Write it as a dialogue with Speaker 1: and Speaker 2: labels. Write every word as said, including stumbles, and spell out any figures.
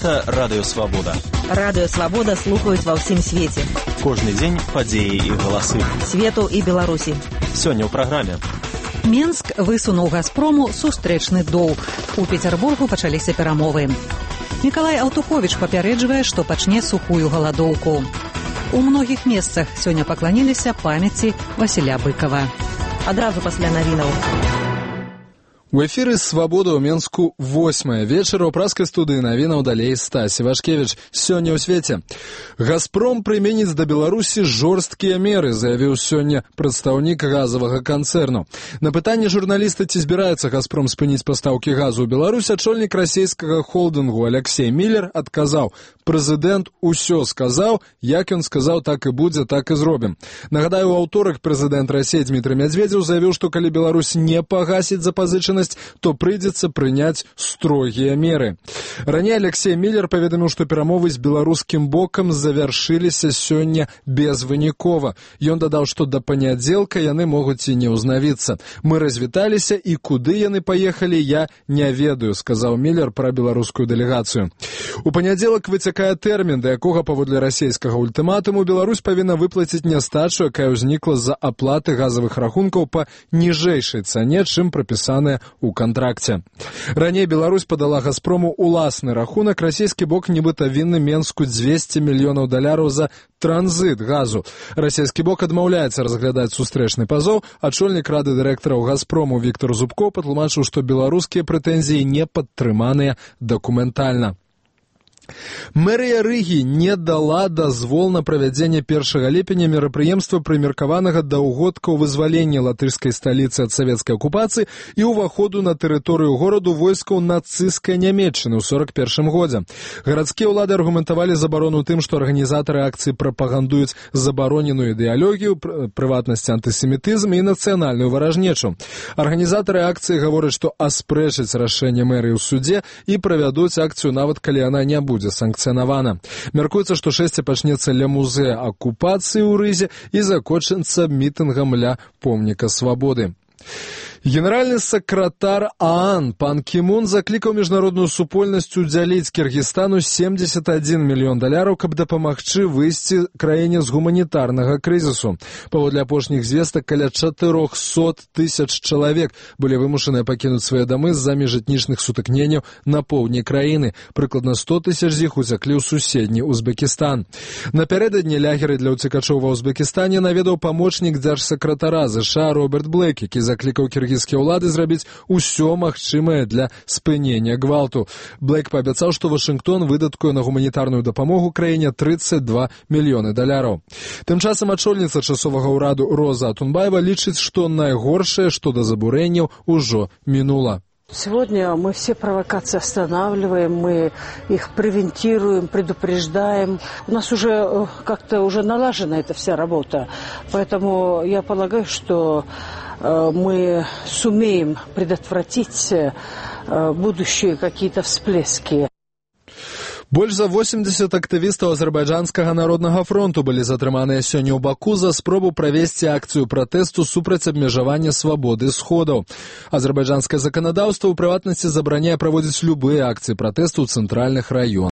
Speaker 1: Гэта Радыё Свабода.
Speaker 2: Радыё Свабода слухаюць ва ўсім свеце.
Speaker 1: Кожны дзень падзеі і галасы.
Speaker 2: Свету і Беларусі.
Speaker 1: Сёння ў праграме.
Speaker 2: Менск высунуў «Газпрому» сустрэчны доўг. У Пецярбургу пачаліся перамовы. Мікалай Аўтуховіч папярэджвае, што пачне сухую галадоўку. У многіх месцах сёння пакланіліся памяці Васіля Быкава. Адразу пасля навінаў.
Speaker 3: У эфіры «Свабода» ў Менску восьмая вечара ў праскай студыі навінаў далей Стась Івашкевіч. Сёння ў свеце. «Газпром» прыменіць да Беларусі жорсткія меры, заявіў сёння прадстаўнік газавага канцэрну. На пытанне журналіста, ці збіраецца «Газпром» спыніць пастаўкі газу ў Беларусь, ачольнік расійскага холдынгу Алексей Миллер адказаў: «Прэзідэнт усё сказаў, як ён сказаў, так і будзе, так і зробім». Нагадаю, у аўторак прэзідэнт Расіі Дмітрый Медведзеў заявіў, што калі Беларусь не пагасіць запазычанасць, то прыйдзецца прыняць строгія меры. Раней Алексей Миллер паведаміў, што перамовы з беларускім бокам завяршыліся сёння безвынікова. Ён дадаў, што да панядзелка яны могуць і не ўзнавіцца. «Мы развіталіся, і куды яны паехалі, я не ведаю», сказаў Миллер пра беларускую дэлегацыю. У панядзелак выцякае тэрмін, да якога паводле расійскага ультыматуму Беларусь павінна выплаціць нястачу, якая ўзнікла з-за аплаты газавых рахункаў па ніжэйшай цане, чым прапісаная у кантракце. Раней Беларусь падала «Газпрому» уласны рахунак. Расійскі бок нібыта вінны Менску дзвесце мільёнаў даляраў за транзит газу. Расійскі бок адмаўляецца разглядаць сустрэчны пазоў. Ачольнік рады дырэктараў «Газпрому» Віктор Зубко патлумачыў, што беларускія прэтэнзіі не падтрыманыя дакументальна. Мэрыя Рыгі не дала дазвол на правядзенне першага ліпеня мерапрыемства, прымеркаванага да ўгодкаў вызвалення латышскай сталіцы ад савецкай акупацыі і ўваходу на тэрыторыю гораду войскаў нацысцкай Нямецчыны ў сорак першым годзе. Гарадскія ўлады аргументавалі забарону тым, што арганізатары акцыі прапагандуюць забароненую ідэалогію, прыватнасці антысемітызм і нацыянальную варажнечу. Арганізатары акцыі гавораць, што аспрэчаць рашэнне мэрыі ў суде і правядуць акцыю, нават калі яна не будзе санкцыянавана. Мяркуецца, што шэсце пачнецца ля музея акупацыі ў Рызе і закончыцца мітынгам ля помніка свабоды. Генеральны сакратар ААН пан Кімун заклікаў міжнародную супольнасць удзяліць Кіргізстану семьдесят один мільён даляраў, каб дапамагчы выйсці краіне з гуманітарнага крызісу. Паводле апошніх звестак, каля чатырохсот тысяч чалавек былі вымушаныя пакінуць свае дамы з-за міжэтнічных сутыкненняў на поўдні краіны. Прыкладна сто тысяч з іх уцяклі ў суседні Узбекістан. Напярэдадні лагеры для ўцекачоў ва Узбекістане наведаў памочнік дзяржсакратара ЗША Роберт Блэк, які заклікаў кіргізскія ўлады зрабіць усё магчымае для спынення гвалту. Блэк паабяцаў, што Вашынгтон выдаткуе на гуманітарную дапамогу краіне тридцать два мільёны даляраў. Тым часам ачольніца часовага ўраду Роза Атунбаева лічыць, што найгоршае, што да забурэнняў, ужо мінула.
Speaker 4: Сегодня мы все провокации останавливаем, мы их превентируем, предупреждаем. У нас уже как-то уже налажена эта вся работа. Поэтому я полагаю, что мы сумеем предотвратить будущие какие-то всплески.
Speaker 3: Больш за восемьдесят актывістаў азербайджанскага народнага фронту былі затрыманыя сёння ў Баку за спробу правесці акцыю пратэсту супраць абмежавання свабоды сходаў. Азербайджанскае заканадаўства ў прыватнасці забараняе праводзіць любыя акцыі пратэсту ў цэнтральных раёнах.